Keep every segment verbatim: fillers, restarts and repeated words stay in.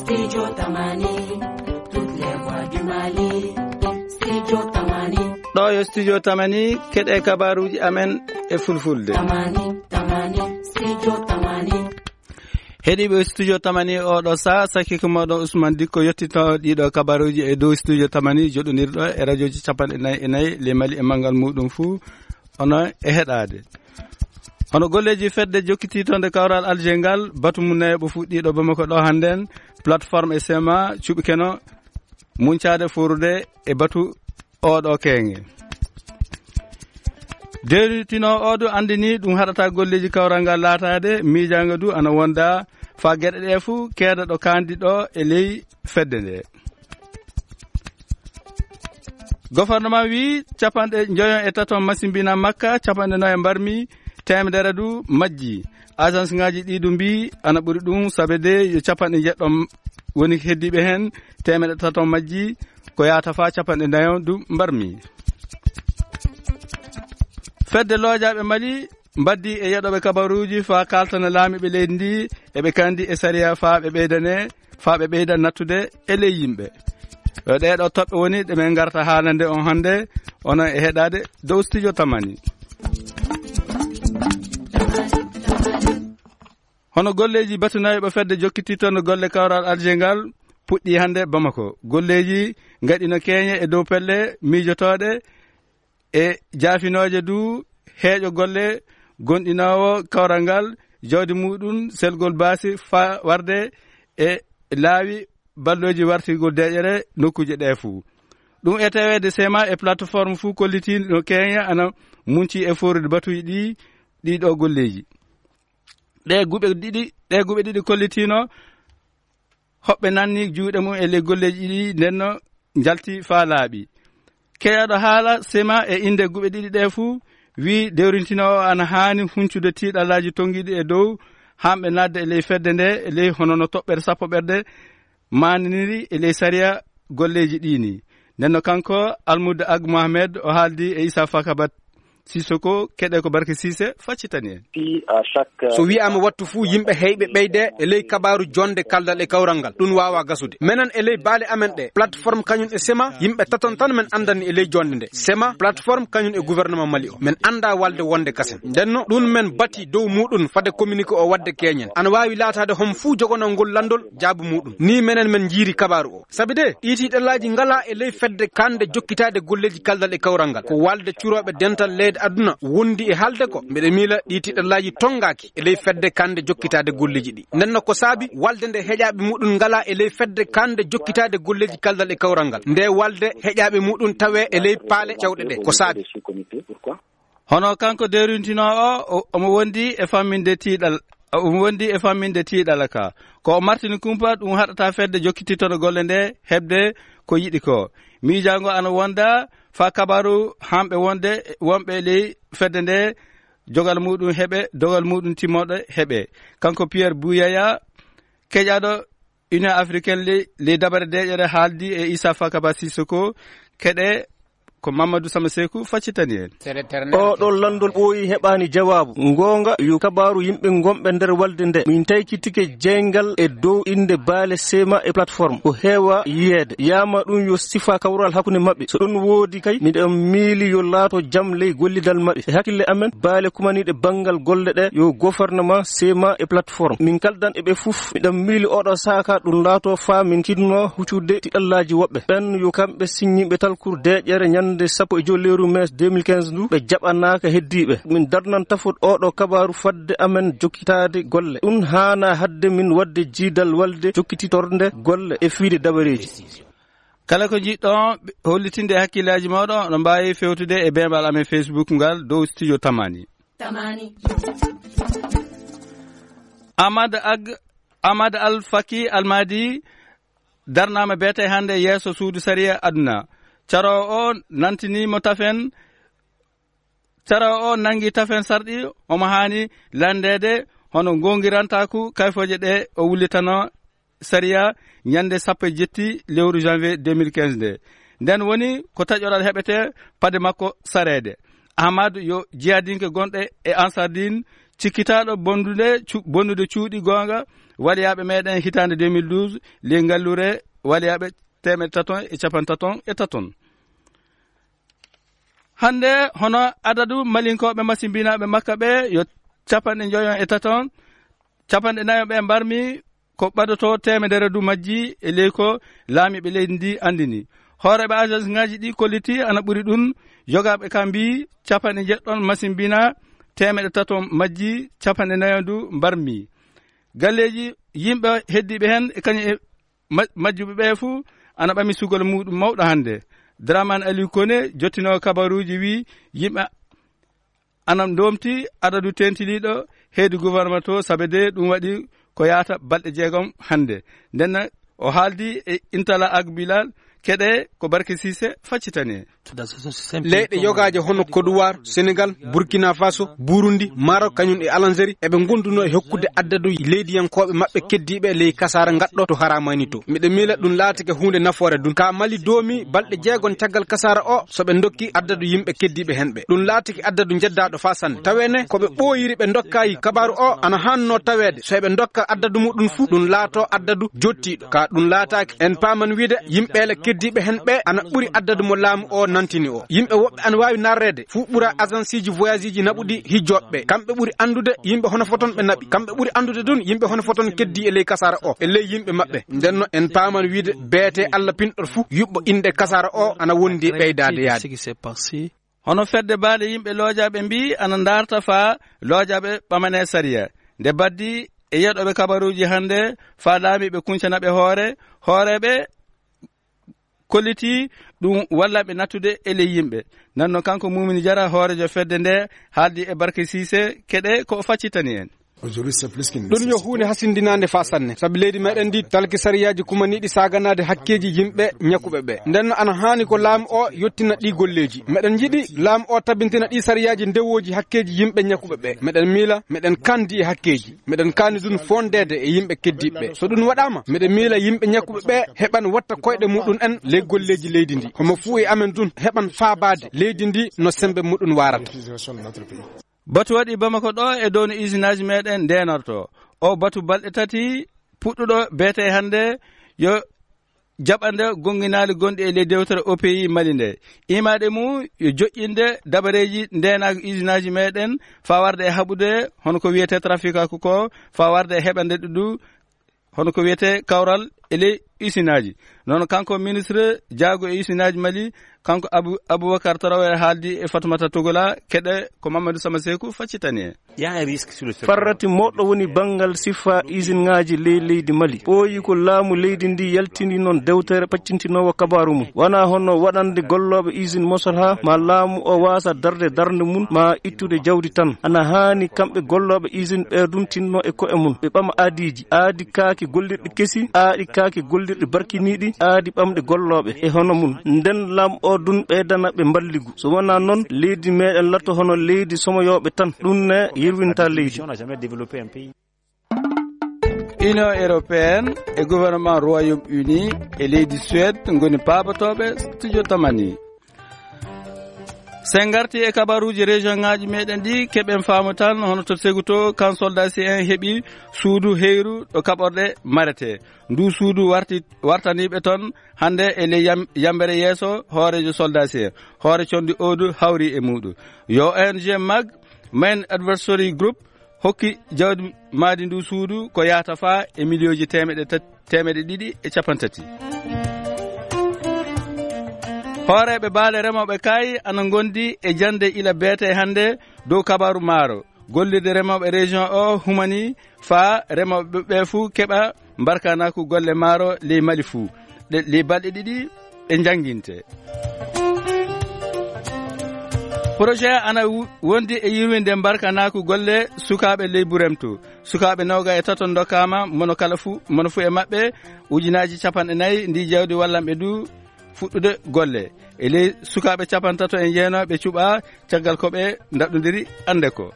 Studio Tamani, toutes les voix du Mali. Studio Tamani. Ɗo yo Studio Tamani, keɗe kabaruuji amen e fulfulde. Tamani, Tamani, Studio Tamani. Heɗiiɓe Studio Tamani, oɗo saa, sakkiiko mooɗon Ousmane Dikko yottito ɗiɗo kabaruuji e dow Studio Tamani, joɗondirɗo e radiooji capanɗe nayi e nayi ley Mali e manngal muuɗum fuu, ono e heɗaade. Hono golleeji fedde jokkitiitonde kawral Alger ngal, batu mum nayo ɓo fuɗɗiiɗo Bamako ɗo hannden, plateforme e sema cuɓikeno muncaade foorude e batu oɗo keenge. Deeritinoowo o du anndini ɗum haɗata golleeji kawral ngal laataade, miijaango du ana wonda faa geɗe ɗe fuu keeda ɗo kaandi ɗo e ley fedde nde. Gofornama wii capanɗe njoyon e taton masimbina makka, capanɗe nayo mbarmi, teemedere du majji. Agence ngaji ɗi du mbii ana ɓuri ɗum, sabe de yo capanɗe njeɗɗo woni heddiiɓe heen, teemeɗe taton majji, ko yaata faa capanɗe nayo du mbarmi. Fedde loojaaɓe Mali mbaddi e yeɗooɓe kabaruuji faa kaaltana laamiiɓe leydi ndi, eɓe kandi e sariya faa ɓe ɓeydane, faa ɓe ɓeyda nattude e ley yimɓe. Yo ɗee ɗoo toɓɓe woni ɗe men ngarta haalande on hannde, onon e heɗaade dow Studio Tamani. Hono golleeji batunayɓe fedde jokkitiitonde golle kawral Alger ngal puɗɗii hannde Bamako. Golleeji ngaɗino keeñe e dow pelle miijotooɗe e jaafinooje du heeƴo golle gonɗinoowo kawral ngal jawdi muuɗum selgol baasi faa warde e laawi ballooji wartirgol deeƴere nokkuuje ɗee fuu. Ɗum e taweede sema e plateforme fuu kollitiino keeña ana munci e foorude batuuji ɗi, ɗii ɗoo golleeji. Ɗee guɓe ɗiɗi, ɗee guɓe ɗiɗi kollitiino hoɓɓe nanni juuɗe mum e ley golleeji ɗi, ndenno njalti faa laaɓi. Keeɗaaɗo haala sema e innde guɓe ɗiɗi ɗee fuu wii dewrintinoowo ana haani huncude tiiɗallaaji tonngiiɗi e dow hamɓe naatde e ley fedde nde, e ley hono no toɓɓere sappo ɓerde maananiri e ley sariya golleeji ɗii nii. Ndenno kanko Almudde Ag Mohamed o haaldi e Issa Fakabat Sissoko, keɗe ko Barke Sise faccitani en. Fii, à chaque, so wiyaama wattu fuu, yimɓe heyɓe ɓeyde e ley kabaaru jonnde kaldal e kawral ngal, ɗum waawaa gasude. Menen e ley baale amen ɗe, plateforme kañum e sema, yimɓe taton tan men anndani e ley jonnde nde. Sema, plateforme kañum e gouvernement Mali o. Men anndaa walde wonde kasen. Ndenno, ɗum men bati dow muuɗum fade communiqué o waɗde keeñen. Ana waawi laataade hom fuu jogonoo ngol lanndol jaabu muuɗum. Nii menen men njiiri kabaaru o. Sabi de, ɗii tiiɗallaaji ngalaa e ley fedde kande jokkitaade golleeji kaldal e kawral ngal. Ko walde curooɓe dental leyɗe aduna wondi e haalde ko. Mbeɗe miila ɗii tiiɗallaaji tonngaaki e ley fedde kande jokkitaade golleeji ɗi. Ndenno ko saabi walde nde heƴaaɓe muuɗum ngalaa e ley fedde kande jokkitaade golleeji kaldal e kawral ngal. Nde walde heƴaaɓe muuɗum tawee e ley paale cewɗe ɗe. Ko saabi. Hono kanko dewrintinoowo o, omo wondi e famminde tiiɗal, omo wondi e famminde tiiɗal ka. Ko o martini kumpa, ɗum haɗata fedde jokkitittoɗo golle nde heɓde ko yiɗi ko. Miijaango ana wonda faa kabaaru hamɓe wonde, wonɓe ley fedde nde, jogal muuɗum heɓe, dogal muuɗum timmooɗo heɓe. Kanko Pierre Bouyaya, keƴaaɗo Union africaine ley, ley dabare deeƴere haaldi e Issa Fakaba Sissoko, keɗe ko Mamadou Sama Sekou faccitani en. Oo ɗoo lanndol ɓooyi heɓaani jawaabu. Ngoonga yo kabaaru yimɓe ngonɓe nder walde nde. Min taykitike jeyngal e dow innde baale sema e plateforme. Ko heewa yiyeede. Yaama ɗum yo sifa kawral hakkunde maɓɓe. So ɗum woodi kay, miɗen miili yo laato jam ley gollidal maɓɓe. E hakkille amen, baale kumaniiɗe banngal golle ɗe yo gouvernement, sema e plateforme. Min kaldan e ɓe fof. Miɗen miili oo ɗoo saaka ɗum laato faa min tinno huccude tiɗallaaji woɓɓe. Ɓen yo kamɓe siññiiɓe talkuru deeƴere ñannde sappo e joy lewru mai deux mille quinze ndu, ɓe jaɓanaaka heddiiɓe. Min darnan tafot oo ɗoo kabaaru fadde amen jokkitaade golle. Ɗum haana hadde min waɗde jiidal walde jokkititorde golle e fiide dabareeji. Kala ko njiɗɗon hollitinde e hakkillaaji mooɗon, oɗon mbaawi fewtude e beembal amen Facebook ngal dow Studio Tamani. Tamani. Ahmad Ag-, Ahmad Al Faki Al Mahdi darnaama beete hannde yeeso suudu sariya aduna. Caroowo o nantini mo tafen, caroowo o nangi tafen sarɗi omo haani lanndeede hono goongirantaaku kayfooje ɗe o wullitano sariya ñannde sappo e jetti lewru janvier deux mille quinze nde. Nden woni ko taƴoral heɓete pade makko sareede. Ahmad yo jihadinke gonɗe e Ansardin cikkitaaɗo bondude cu-, bonnude cuuɗi goonga waliyaaɓe meɗen hitaande deux mille douze, ley ngalluure waliyaaɓe teemeɗɗe taton e capanɗe taton e taton. Hannde, hono adadu malinkooɓe masimbinaaɓe makka ɓe yo capanɗe njoyon e taton, capanɗe nayo ɓe mbarmi ko ɓadoto teemedere du majji e ley ko laamiiɓe leydi ndi anndini. Hooreeɓe agence ŋaaji ɗi kolliti ana ɓuri ɗum, yogaaɓe ka mbi capanɗe njeɗɗon masimbina, teemeɗɗe taton majji, capanɗe nayo du mbarmi. Galleeji yimɓe heddiiɓe heen e kañum e ma-, majjuɓe ɓe fuu ana ɓami sugol muuɗum mawɗo hannde. Dramane Aliou Koné, jottinoowo kabaruuji, wi yimɓe ana ndoomti adadu teentiniiɗo heedi gouvernement to, sabe de ɗum waɗi ko yaata balɗe jeegom hannde. Nden o haaldi e Intala Agbilal, keɗe ko Barke Sise faccitani. Leyɗe yogaaje hono Côte d'Ivoire, Sénégal, Burkina Faso, Burundi, Maroc, kañum e Algérie, eɓe ngondunoo e hokkude addadu leydiyankooɓe maɓɓe keddiiɓe ley kasaara ngaɗɗo to haraamaani to. Miɗo miila ɗum laatike huunde nafoore ɗum. Ka Mali doomi balɗe jeegom caggal kasaara o, so ɓe ndokki addadu yimɓe keddiiɓe hen ɓe. Ɗum laatike addadu njeddaaɗo faa sanne. Tawee ne, ko ɓe ɓooyiri ɓe ndokkayi kabaaru o, ana haannoo taweede. So eɓe ndokka addadu muɗum fuu, ɗum laato addadu jottiiɗo. Ka ɗum laataaki, en paaman wiide yimɓe le keddiiɓe hen ɓe ana ɓuri addadu mo laamu o nantini o. Yimɓe woɓɓe ana waawi narreede, fuu ɓura agenceeji voyageeji naɓuɗi hijjooɓe ɓe. Kamɓe ɓuri anndude yimɓe hono foton ɓe naɓi. Kamɓe ɓuri anndude ɗum yimɓe hono foton keddii e ley kasaara o, e ley yimɓe maɓɓe. Nden no en paaman wiide beete Alla pinɗo fuu yuɓɓo innde kasaara o ana wondi e ɓeydaade yaade. Hono fedde baale yimɓe loojaaɓe mbii ana ndaarta faa loojaaɓe ɓamanee sariya. Nde baddi e yeɗooɓe kabaruuji hannde faa laamiiɓe kuncana ɓe hoore, hooreeɓe kolliti ɗum walla ɓe nattude e ley yimɓe. Nan no kanko Mumini Jara, hooreejo fedde nde, haaldi e Barke Siise, keɗe ko o faccitani en. Ɗum yo huunde hasindinaande faa sanne, sabi leydi meɗen ndi talki sariyaaji kumaniiɗi saaganaade hakkeeji yimɓe ñakkuɓe ɓe. Nden no ana haani ko laamu o yottina ɗi golleeji. Meɗen njiɗi laamu o tabintina ɗi sariyaaji ndewooji hakkeeji yimɓe ñakkuɓe ɓe. Meɗen miila, meɗen kandi e hakkeeji. Meɗen kaani ɗum fondeede e yimɓe keddiiɓe ɓe. So ɗum waɗaama, meɗen miila yimɓe ñakkuɓe ɓe heɓan watta koyɗe muɗum en ley golleeji leydi ndi. Homo fuu e amen ɗum heɓan faabaade leydi ndi no sembe muɗum waarata. Batu waɗi Bamako ɗo e dow no isinaaji meɗen ndeenorto. O batu balɗe tati puɗɗuɗo beete hannde yo jaɓande gonnginaali gonɗi e ley dewtere O P I Mali nde. Imaade mum yo joƴƴinde dabareeji ndeenaaka isinaaji meɗen faa warde e haɓude hono ko wiyetee trafikaaku ko, faa warde e heɓande ɗuɗu hono ko wiyetee kawral e ley isinaaji. Noon kanko ministre jaago e isinaaji Mali, kanko Abu-, Abubakar Traoré haaldi e Fatumata Togola, keɗe ko Mamadou Samaseku faccitani en. Farrati mawɗo woni banngal sifa isinŋaaji ley leydi Mali. Ɓooyi ko laamu leydi ndi yaltini noon dewtere paccintinoowo kabaaru mum. Wonaa hono waɗande gollooɓe isin mosolha, ma laamu o waasa darde darnde mum, ma ittude jawdi tan. Ana haani kamɓe gollooɓe isin ɓe ɗum tinno e ko'e mum. Ɓe ɓama aadiiji, aadi kaaki gollirɗi kesi, aadi kaaki gollirɗi barkiniiɗi, aadi ɓamɗe gollooɓe e hono mum. Nden laamu o ɗum ɓeydana ɓe mballigu. So wonaa noon, leydi meɗen latto hono leydi somoyooɓe tan. Ɗum ne yirwinta leydi. Union européenne e gouvernement Royaume-Uni e leydi Suède ngoni paabotooɓe studio Tamani. So en ngarti e kabaruuji région ŋaaji meɗen ɗi, keɓen faamu tan hono to Seguto, kan soldasi en heɓi suudu heyru ɗo kaɓorɗe marete. Ndu suudu warti, wartaniiɓe toon hannde e ley yam-, yambere yeeso hooreejo soldasi en. Hoore conndi Odu hawri e muuɗum. Yo O N G mag, Main Advisory Group, hokki jawdi maadi ndu suudu ko yahata faa e miliyooji teemeɗɗe tat-, teemeɗɗe ɗiɗi e capanɗe tati. Hooreeɓe baale remooɓe kaayi ana ngondi e jannde ila beete hannde dow kabaaru maaro. Gollirde remooɓe région o humani faa remooɓe ɓe fuu keɓa mbarkanaaku golle maaro ley Mali fuu. Ɗe, ley balɗe ɗiɗi ɗe njannginte. Projet ana wu-, wondi e yirwinde mbarkanaaku golle sukaaɓe ley Buremtu. Sukaaɓe noogay e tato ndokkaama, mono kala fuu, mono fuu e maɓɓe ujunaaji capanɗe nayi. Ndi jawdi wallan ɓe du fuɗɗude golle. E ley sukaaɓe capanɗe tato e jeenooɓe cuɓaa caggal ko ɓe ndaɗɗondiri annde ko.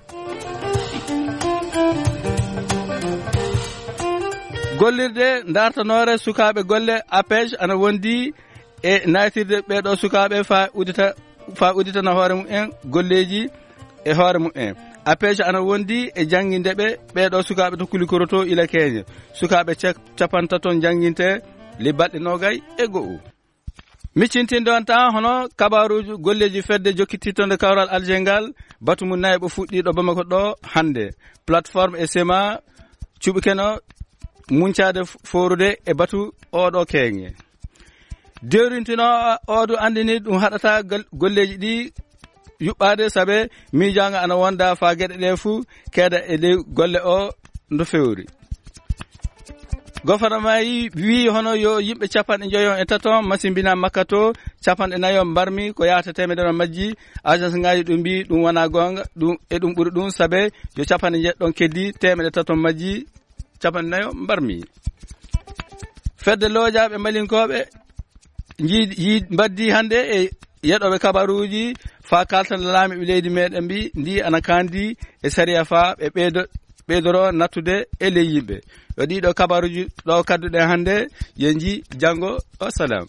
Gollirde dartanoore sukaaɓe golle APEJ ana wondi e naytirde ɓee ɗoo sukaaɓe faa uddita, faa udditana hoore mumen golleeji e hoore mumen. APEJ ana wondi e jannginde ɓe ɓeeɗo sukaaɓe to Kulikoro to ila Keeñe. Sukaaɓe cak-, capantato jannginte li balɗe noogay e go'o. Miccintinde on taa hono kabaaruuji golleeji fedde jokkitiitonde kawral Alger ngal, batu mum nayaɓo fuɗɗiiɗo Bamako ɗo hannde. Plateforme e sema cuɓi keno muncaade f-, foorude e batu oɗo keeŋe. Dewrintino oɗo anndini ɗum haɗata gal-, golleeji ɗi yuɓɓaade sabe miijaango ana wonda faa geɗe ɗe fuu keeda e ley golle o no fewri. Gofarnama yi-, wii hono yo yimɓe capanɗe njoyo e tato masimbina makka to, capanɗe nayo mbarmi ko yahata teemedere majji. Agence ngaji ɗum mbi ɗum wona goonga, ɗum, e ɗum ɓuri ɗum sabe yo capanɗe njeɗɗon keddi teemedere tato majji, capanɗe nayo mbarmi. Fedde loojaɓe mbalinkooɓe nji-, yi-, mbaddi hannde e yeɗooɓe kabaruuji faa kaltana laamiiɓe leydi meɗen mbi ndi ana kandi e sariya faa ɓe ɓeydo-, ɓeydoro nattude e ley yimɓe. Yo ɗiɗo kabaruuji ɗo kadduɗen hannde, yo nji janngo. Wassalam.